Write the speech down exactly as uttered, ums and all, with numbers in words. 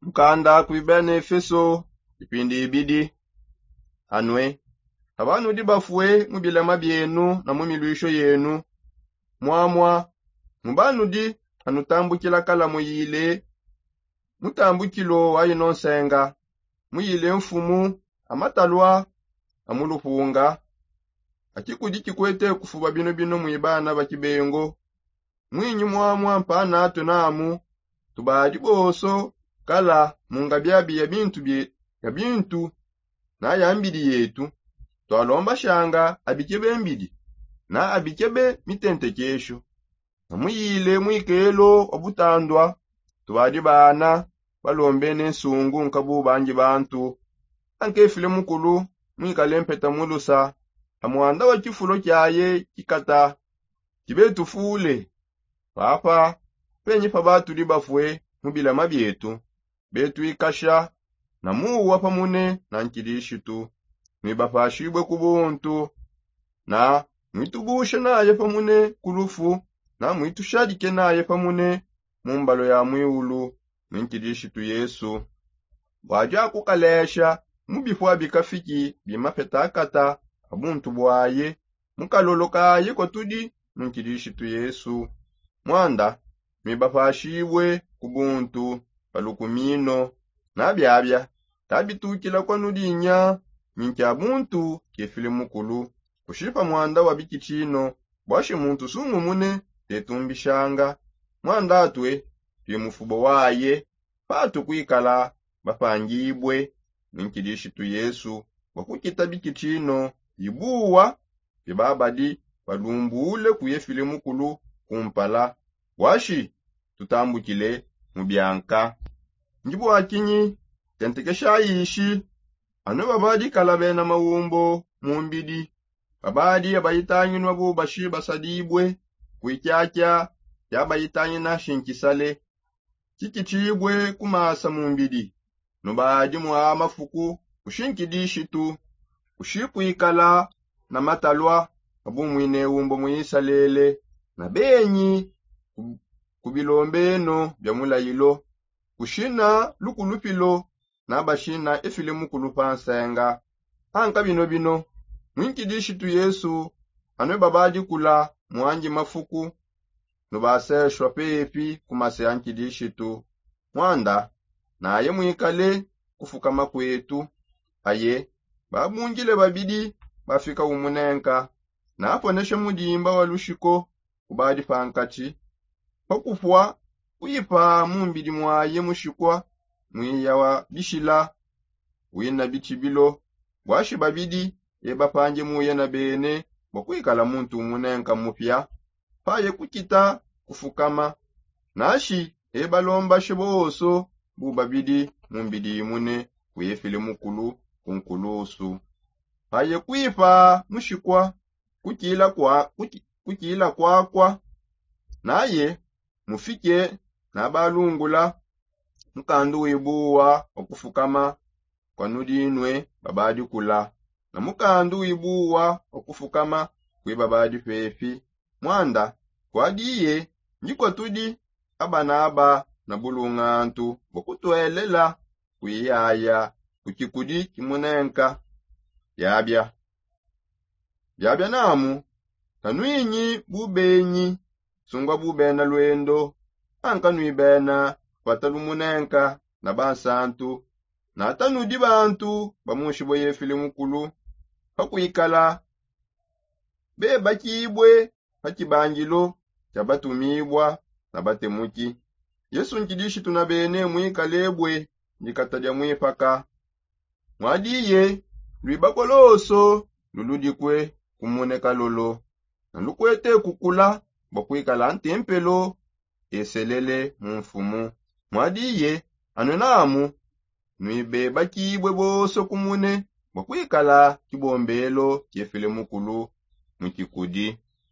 Mukanda kui bena efeso ipindi ibidi. Anue, abanudi bafue mu bilama bienu na mu miluisho yenu, muamua mubanudi anutambukila kala muyile mutambukilo wa ino nsenga, muyile mfumu amatalua amulupunga. Akikudi kikwete kufuba bino bino mui bana ba kibengo. Mwinyi muamua mpanatu namu tubadi bonso kala mu ngabiabi ya bintu bie ya bintu na ya mbidi yetu. Tualombashanga abikebe mbidi na abikebe mitentekesho. Na muyile mwikelo wa butandua tubadi bana balombene nsungu nkabu bangi bantu. Ankefile mukulu mwikale mpeta mulusa a muanda wa kifulo kiaye kikata kibetufule. Papa, penyi pa batudi bafue mu bilama bietu betuikasha na muwa pamune na nkidishitu, nuibapashibue ku buntu na nuitubushe naye pamune ku lufu na muitushadike naye pamune mu mbalo ya mwiulu mu nkidishitu yesu. Bua dia kukalesha mu bipua bikafiki bimapetakata a buntu buaye mu kalolo kaye kuatudi mu nkidishitu yesu. Muanda nuibapashibue ku buntu pa lukumino. Na biabia tabitukila kuanudinya minkia buntu kefile mukulu kushipa muanda wa bikitshino. Buashi muntu sungumune tetumbishanga muanda atue tui mufubo waye patu kuikala bapangibue ne nkidishitu yesu bua kukita bikitshino ibuwa bia babadi balumbule kuye file mukulu kumpala. Buashi tutambukile mu bianka. Ndi bua kinyi tentekesha ishi anu babadi kala bena maumbo mu mbidi babadi abayitanginua bubashi basadibue kuikiakia ya bayitangina shinkisale kikitshibue ku masa mu mbidi. Nubadi mua mafuku kushinkidishitu kushikuikala na matalua a bumwine umbo mu isalele na benyi ku bilombeno bia mulayilo kushina lukulupilo na bashina efile mukulu pa nsenga. Anka bino bino mu nkidishitu yesu anue babadikula muangi mafuku nubaseshua pepi ku mase a nkidishitu. Muanda naye muikale kufukama kuetu. Aye babungile babidi bafika umunenka naponeshe mudimba wa lushiko kubadi pankatshi. Pakupua kuipa mu mbidi muaye mushikua muiya wa bishila wina bitshibilo. Buashi babidi ebapange muye na bene bua kuikala muntu umunenka mupia. Paye kukita kufukama nashi ebalombashe bonso bu babidi mu mbidi imune kuye file mukulu ku nkulusu. Paye kuipa mushikua kukila kuakua naye mufike nabalungula mukandu wibuwa wa kufukama kua nudinue babadikula na mukandu wibuwa wa kufukama kue babadi pepi. Muanda kuadiye ndi kuatudi abanaba na bulungantu bua kutuelela kuiyaya ku kikudi kimunenka. Biabia biabia namu tanuinyi bubenyi sungua bubena luendo anka nuibena kupata lumunenka na bansantu. Natanudi bantu ba munshi bua yefile mukulu pakuikala bebakibue pa kibangilo kia batumibua na batemuki. Yesu nkidishitu na bene muikalebue ndikata dia muipaka. Muadiye luibakua lonso luludikue kumune kalolo na lukuete kukula bua kuikala ntempelo eselele mu mfumu. Muadiye anu namu nuibebakibue bonso kumune bua kuikala kibombelo kiefile mukulu mu kikudi.